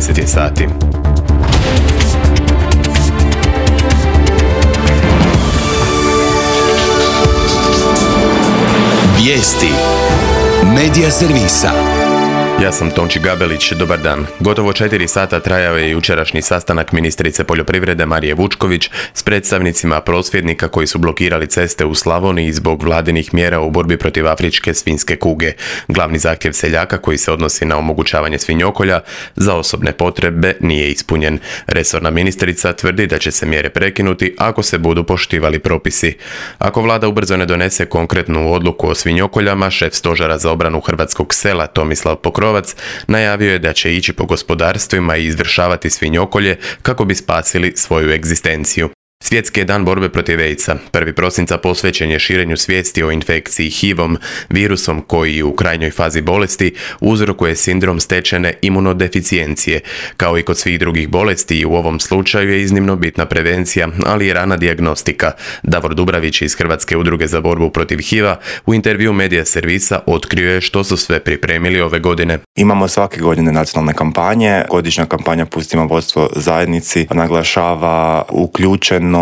10 je sati. Vijesti Medija servisa. Ja sam Tonči Gabelić, dobar dan. Gotovo 4 sata trajao je jučerašnji sastanak ministrice poljoprivrede Marije Vučković s predstavnicima prosvjednika koji su blokirali ceste u Slavoniji zbog vladinih mjera u borbi protiv afričke svinjske kuge. Glavni zahtjev seljaka koji se odnosi na omogućavanje svinjokolja za osobne potrebe nije ispunjen. Resorna ministrica tvrdi da će se mjere prekinuti ako se budu poštivali propisi. Ako vlada ubrzo ne donese konkretnu odluku o svinjokoljama, šef stožera za obranu hrvatskog sela Tomislav Pokrovac najavio je da će ići po gospodarstvima i izvršavati svinjokolje kako bi spasili svoju egzistenciju. Svjetski je dan borbe protiv AIDS-a. 1. prosinca posvećen je širenju svijesti o infekciji HIV-om, virusom koji u krajnjoj fazi bolesti uzrokuje sindrom stečene imunodeficijencije. Kao i kod svih drugih bolesti, i u ovom slučaju je iznimno bitna prevencija, ali i rana dijagnostika. Davor Dubravić iz Hrvatske udruge za borbu protiv HIV-a u intervju Medija servisa otkrio je što su sve pripremili ove godine. Imamo svake godine nacionalne kampanje. Godišnja kampanja Pustimo vodstvo zajednici naglašava uključenost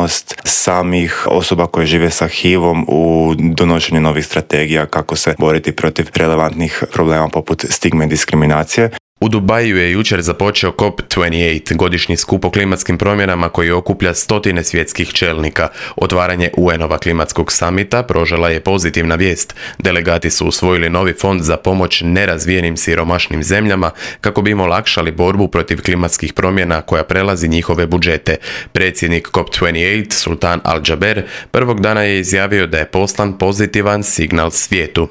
samih osoba koje žive sa HIV-om u donošenju novih strategija kako se boriti protiv relevantnih problema poput stigme i diskriminacije. U Dubaju je jučer započeo COP28, godišnji skup o klimatskim promjenama koji okuplja stotine svjetskih čelnika. Otvaranje UN-ova klimatskog samita prožela je pozitivna vijest. Delegati su usvojili novi fond za pomoć nerazvijenim siromašnim zemljama kako bi im olakšali borbu protiv klimatskih promjena koja prelazi njihove budžete. Predsjednik COP28, Sultan Al-Jaber, prvog dana je izjavio da je poslan pozitivan signal svijetu.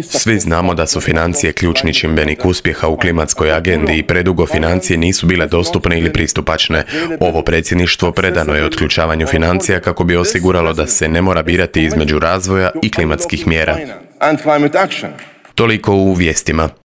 Svi znamo da su financije ključni čimbenik uspjeha u klimatskoj agendi i predugo financije nisu bile dostupne ili pristupačne. Ovo predsjedništvo predano je otključavanju financija kako bi osiguralo da se ne mora birati između razvoja i klimatskih mjera. Toliko u vijestima.